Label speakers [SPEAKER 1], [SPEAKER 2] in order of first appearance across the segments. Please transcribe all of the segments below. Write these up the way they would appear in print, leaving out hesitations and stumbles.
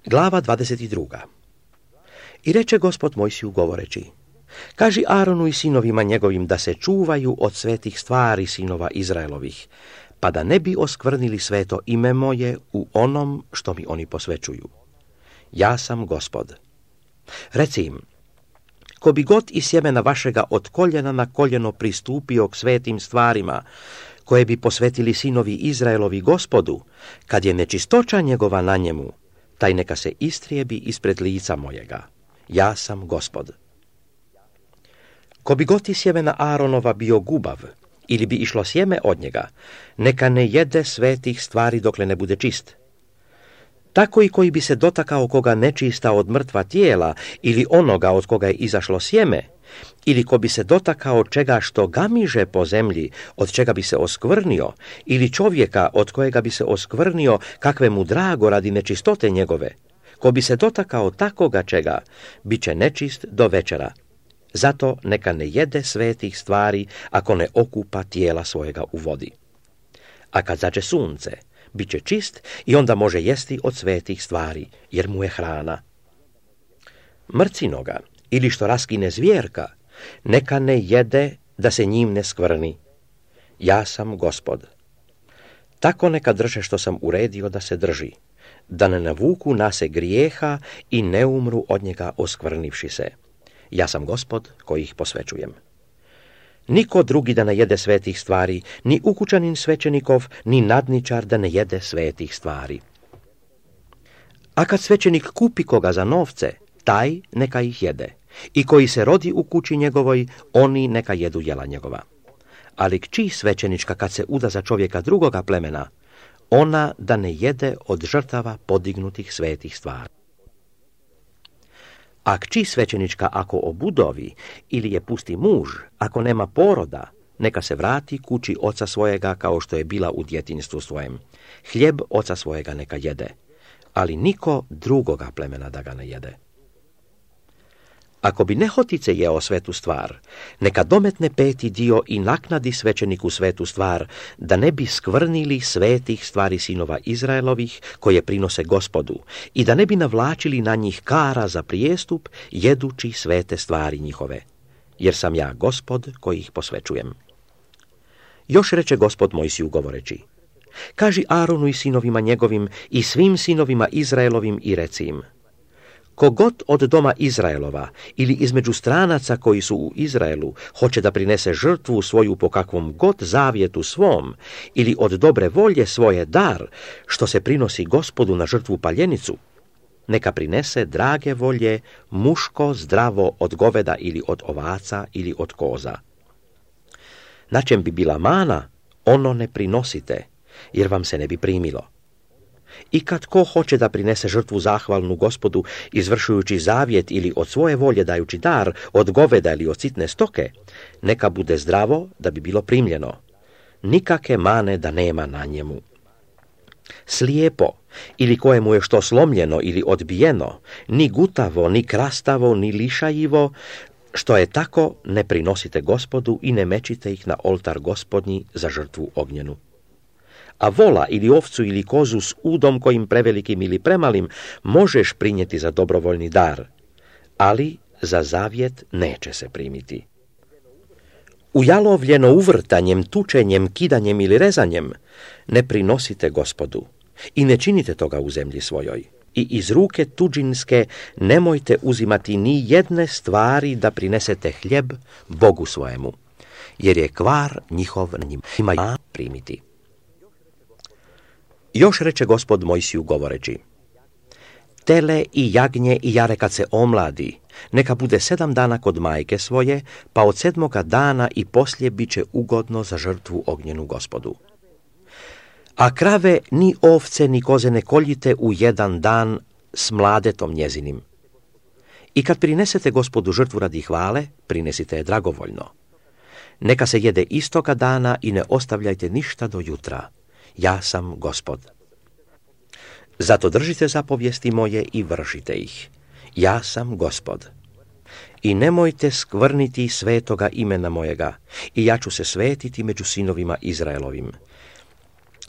[SPEAKER 1] Glava 22. I reče Gospod Mojsiju govoreći: Kaži Aronu i sinovima njegovim da se čuvaju od svetih stvari sinova Izraelovih, pa da ne bi oskvrnili sveto ime moje u onom što mi oni posvećuju. Ja sam Gospod. Reci im: ko bi god iz sjemena vašega od koljena na koljeno pristupio k svetim stvarima, koje bi posvetili sinovi Izraelovi Gospodu, kad je nečistoća njegova na njemu, taj neka se istrijebi ispred lica mojega. Ja sam Gospod. Ko bi god iz sjemena Aaronova bio gubav, ili bi išlo sjeme od njega, neka ne jede svetih stvari dokle ne bude čist. Tako i koji bi se dotakao koga nečista od mrtva tijela, ili onoga od koga je izašlo sjeme, ili ko bi se dotakao čega što gamiže po zemlji, od čega bi se oskvrnio, ili čovjeka od kojega bi se oskvrnio, kakve mu drago radi nečistote njegove, ko bi se dotakao takoga čega, bit će nečist do večera. Zato neka ne jede svetih stvari ako ne okupa tijela svojega u vodi. A kad zađe sunce, bit će čist i onda može jesti od svetih stvari, jer mu je hrana. Mrcinoga, ili što raskine zvjerka, neka ne jede da se njim ne skvrni. Ja sam Gospod. Tako neka drže što sam uredio da se drži, da ne navuku na se grijeha i ne umru od njega oskvrnivši se. Ja sam Gospod koji ih posvećujem. Niko drugi da ne jede svetih stvari, ni ukućanin svećenikov, ni nadničar da ne jede svetih stvari. A kad svećenik kupi koga za novce, taj neka ih jede. I koji se rodi u kući njegovoj, oni neka jedu jela njegova. Ali kći svećenička kad se uda za čovjeka drugoga plemena, ona da ne jede od žrtava podignutih svetih stvari. A kći svećenička ako obudovi ili je pusti muž, ako nema poroda, neka se vrati kući oca svojega kao što je bila u djetinjstvu svojem. Hljeb oca svojega neka jede, ali niko drugoga plemena da ga ne jede. Ako bi nehotice jeo svetu stvar, neka dometne 5. dio i naknadi svećeniku svetu stvar, da ne bi skvrnili svetih stvari sinova Izraelovih, koje prinose Gospodu, i da ne bi navlačili na njih kara za prijestup, jedući svete stvari njihove. Jer sam ja Gospod koji ih posvećujem. Još reče Gospod Mojsiju govoreći: kaži Aronu i sinovima njegovim i svim sinovima Izraelovim i reci im: kogod od doma Izraelova ili između stranaca koji su u Izraelu hoće da prinese žrtvu svoju po kakvom god zavjetu svom ili od dobre volje svoje dar, što se prinosi Gospodu na žrtvu paljenicu, neka prinese drage volje muško zdravo od goveda ili od ovaca ili od koza. Na čem bi bila mana, ono ne prinosite, jer vam se ne bi primilo. I kad ko hoće da prinese žrtvu zahvalnu Gospodu, izvršujući zavjet ili od svoje volje dajući dar, od goveda ili od sitne stoke, neka bude zdravo da bi bilo primljeno. Nikake mane da nema na njemu. Slijepo, ili kojemu je što slomljeno ili odbijeno, ni gutavo, ni krastavo, ni lišajivo, što je tako, ne prinosite Gospodu i ne mečite ih na oltar Gospodnji za žrtvu ognjenu. A vola ili ovcu ili kozu s udom kojim prevelikim ili premalim možeš prinijeti za dobrovoljni dar, ali za zavjet neće se primiti. Ujalovljeno uvrtanjem, tučenjem, kidanjem ili rezanjem ne prinosite Gospodu i ne činite toga u zemlji svojoj. I iz ruke tuđinske nemojte uzimati ni jedne stvari da prinesete hljeb Bogu svojemu, jer je kvar njihov na njima primiti. Još reče Gospod Mojsiju govoreći: tele i jagnje i jare kad se omladi, neka bude 7 dana kod majke svoje, pa od 7. dana i poslije bit će ugodno za žrtvu ognjenu Gospodu. A krave ni ovce ni koze ne koljite u 1 dan s mladetom njezinim. I kad prinesete Gospodu žrtvu radi hvale, prinesite je dragovoljno. Neka se jede istoga dana i ne ostavljajte ništa do jutra. Ja sam Gospod. Zato držite zapovijesti moje i vršite ih. Ja sam Gospod. I nemojte skvrniti svetoga imena mojega, i ja ću se svetiti među sinovima Izraelovim.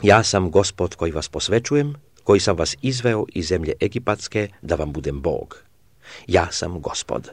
[SPEAKER 1] Ja sam Gospod koji vas posvećujem, koji sam vas izveo iz zemlje Egipatske da vam budem Bog. Ja sam Gospod.